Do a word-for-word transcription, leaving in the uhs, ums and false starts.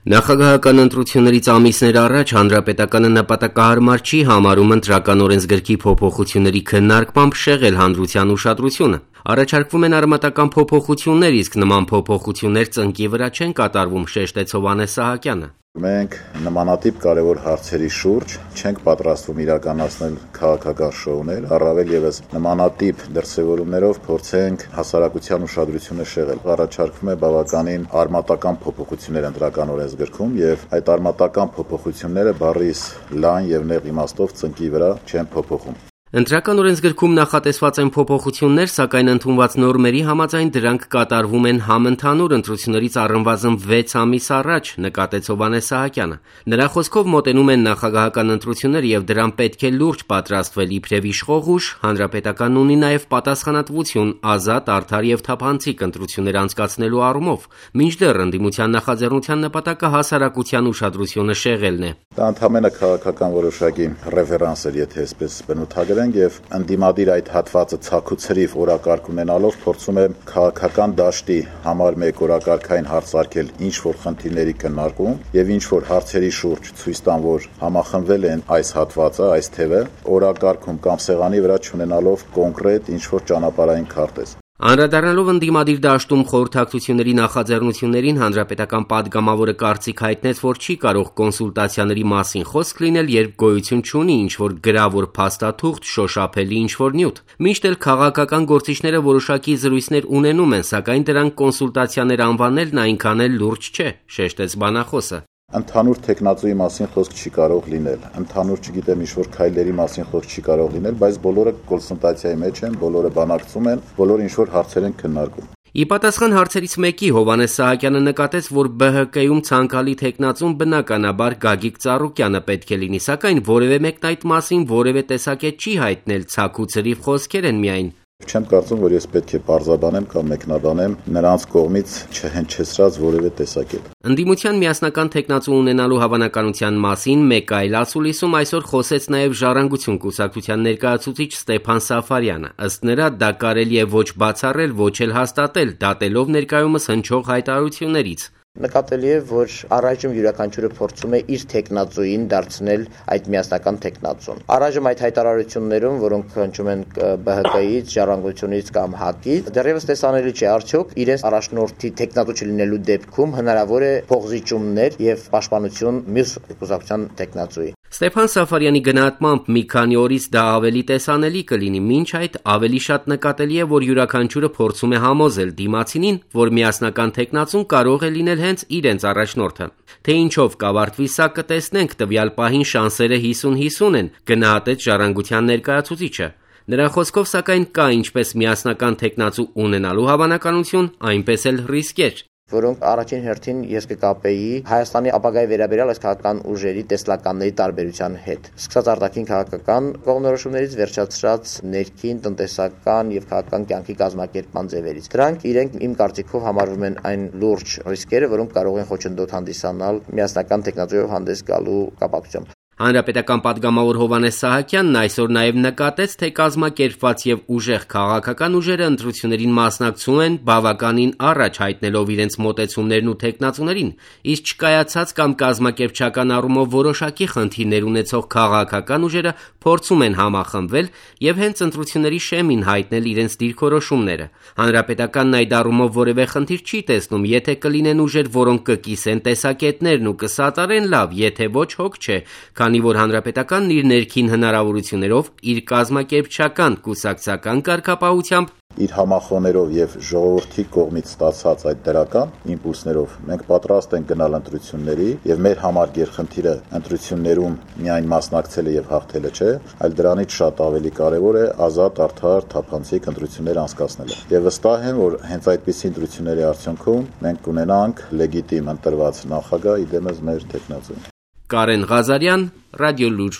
Նախագահական ընտրություններից ամիսներ առաջ Հանրապետականը նպատակահարմար չի համարում ընտրական օրենսգրքի փոփոխությունների քննարկմամբ շեղել հանրության ուշադրությունը։ Առաջարկվում են արմատական փոփոխություններ, իսկ նման փոփոխություններ ծնկի վրա չեն կատարվում, շեշտեց Հովհաննես Սահակյանը։ Մենք նմանատիպ կարևոր հարցերի շուրջ չենք պատրաստվում իրականացնել քաղաքական շոուներ, առավել ևս նմանատիպ դրսևորումներով փորձենք հասարակության ուշադրությունը շեղել։ Առաջարկվում է բավականին արմատական փոփոխություններ ընտրական օրենսգրքում եւ այդ արմատական փոփոխությունները բառիս լայն եւ նեղ իմաստով ծնկի վրա չեն փոփոխում։ Ընտրական օրենսգրքում նախատեսված են փոփոխություններ, սակայն ընդունված նորմերի համաձայն դրանք կատարվում են համընդհանուր ընտրություններից առնվազն վեց ամիս առաջ, նկատեց Հովհաննես Սահակյանը։ Նրա խոսքով մոտենում են նախագահական ընտրություններ եւ դրան պետք է լուրջ պատրաստվել իբրև իշխող ուժ, հանրապետականն ունի նաեւ պատասխանատվություն ազատ, արդար եւ թափանցիկ ընտրություններ անցկացնելու առումով, մինչդեռ ընդդիմության նախաձեռնության նպատակը հասարակության ուշադրությունը շեղելն է։ Դա ընդհանրապես քաղաքական որոշակի ռեֆերանս էր, եթե այսպես բնութագրենք, եւ ընդդիմադիր այդ հատվածը ցաքուցրիվ օրակարգ ունենալով փորձում է քաղաքական դաշտի համար մեկ օրակարգային հարց արկել ինչ որ խնդիրների քննարկում եւ ինչ որ հարցերի շուրջ ցույց տան, որ համախմբվել են այս հատվածը, այս թևը, օրակարգում կամ սեղանի վրա չունենալով կոնկրետ ինչ որ ճանապարհային քարտեզ։ Անդրադառնալով ընդդիմադիր դաշտում խորհրդակցությունների նախաձեռնություններին, հանրապետական падգամավորը կարծիք հայտնեց, որ չի կարող կոնսուլտացիաների մասին խոսք լինել, երբ գոյություն չունի ինչ-որ գրավոր փաստաթուղթ, շոշափելի ինչ-որ նյութ։ Մինչդեռ քաղաքական գործիչները որոշակի զրույցներ ունենում են, սակայն դրանք կոնսուլտացիաներ անվանելն այնքան էլ լուրջ չէ, շեշտեց բանախոսը։ Ընդհանուր տեխնացուի մասին խոսք չի կարող լինել, ընդհանուր չգիտեմ ինչ-որ քայլերի մասին խոսք չի կարող լինել, բայց բոլորը կոնսուլտացիայի մեջ են, բոլորը բանակցում են, բոլորը ինչ-որ հարցեր են քննարկում։ Ի պատասխան հարցերից մեկի Հովհաննես Սահակյանը նկատեց, որ Բ Հ Կ-ում ցանկալի տեխնացուն բնականաբար Գագիկ Ծառուկյանը պետք է լինի, սակայն որևէ մեկն այդ մասին որևէ տեսակետ չի հայտնել, ցաքուցրիվ խոսքեր են միայն։ Չեմ կարծում, որ ես պետք է պարզաբանեմ կամ մեկնաբանեմ նրանց կողմից չհնչեցրած որևէ տեսակետ։ Ընդդիմության միասնական տեխնացու ունենալու հավանականության մասին մեկ այլ ասուլիսում այսօր խոսեց նաև Ժառանգություն կուսակցության ներկայացուցիչ Ստեփան Սաֆարյանը։ Ըստ նրա, դա կարելի է ոչ բացառել, ոչ էլ հաստատել, դատելով ներկայումս հնչող հայտարարություններից։ Նկատելի է, որ առայժմ յուրաքանչյուրը փորձում է իր տեխնացուին դարձնել այդ միասնական տեխնացուն։ Առայժմ այդ հայտարարություններում, որոնք հնչում են Բ Հ Կ-ից, Ժառանգությունից կամ Հ Ա Կ-ից, դեռևս տեսանելի չէ արդյոք իրենց առաջնորդի տեխնացու չլինելու դեպքում հնարավոր է փոխզիջումներ եւ պաշտպանություն մյուս կուսակցության տեխնացուի։ Ստեփան Սաֆարյանի գնահատմամբ մի քանի օրից դա ավելի տեսանելի կլինի, մինչ այդ ավելի շատ նկատելի է, որ յուրաքանչյուրը փորձում է համոզել դիմացինին, որ միասնական տեխնացուն կարող է լինել հենց իրենց առաջնորդը։ Թե ինչով կավարտվի սա կտեսնենք, տվյալ պահին շանսերը հիսուն հիսուն են, գնահատեց Ժառանգության ներկայացուցիչը։ Նրա խոսքով սակայն կա ինչպես միասնական տեխնացու ունենալու հավանականություն, այնպես էլ ռիսկեր, որոնք առաջին հերթին ես կկապեի Հայաստանի ապագայի վերաբերյալ այս քաղաքական ուժերի տեսլականների տարբերության հետ։ Սկսած արտաքին քաղաքական կողմնորոշումներից վերջացրած ներքին տնտեսական եւ քաղաքական կյանքի կազմակերպման ձևերից։ Դրանք իրենք իմ կարծիքով համարվում են այն լուրջ ռիսկերը, որոնք կարող են խոչընդոտ հանդիսանալ միասնական տեխնոլոգիայով հանդես գալու կապակցությամբ։ Հանրապետական падգամավոր Հովհաննես Սահակյանն այսօր նաև նկատեց, թե կազմակերպված եւ ուժեղ քաղաքական ուժերը ընտրություններին մասնակցում են բավականին առաջ հայտնելով իրենց մոտեցումներն ու տեխնացուներին, իսկ չկայացած կամ կազմակերպչական առումով որոշակի խնդիրներ ունեցող քաղաքական ուժերը փորձում են համախմբվել եւ հենց ընտրությունների շեմին հայտնել իրենց դիրքորոշումները։ Հանրապետականն այդ առումով որևէ խնդիր չի տեսնում, եթե կլինեն ուժեր, որոնք կկիսեն տեսակետներն ու կսատարեն լավ, եթե ոչ հոգ չէ, քանի որ հանրապետականն իր ներքին հնարավորություններով, իր կազմակերպչական կուսակցական կարգապահությամբ, իր համախոներով եւ ժողովրդի կողմից ստացած այդ դրական իմպուլսներով մենք պատրաստ ենք գնալ ընտրությունների եւ մեր համար գերխնդիրը ընտրություններում միայն մասնակցելը եւ հաղթելը չէ, այլ դրանից շատ ավելի կարեւոր է ազատ, արդար, թափանցիկ ընտրություններ անցկացնելը։ Եվ վստահ եմ, որ հենց այդպիսի ընտրությունների արդյունքում մենք կունենանք լեգիտիմ ընտրված նախագահ, իդեմս մեր տեխնացուն։ Կարեն Ղազարյան, Ռադիոլուր։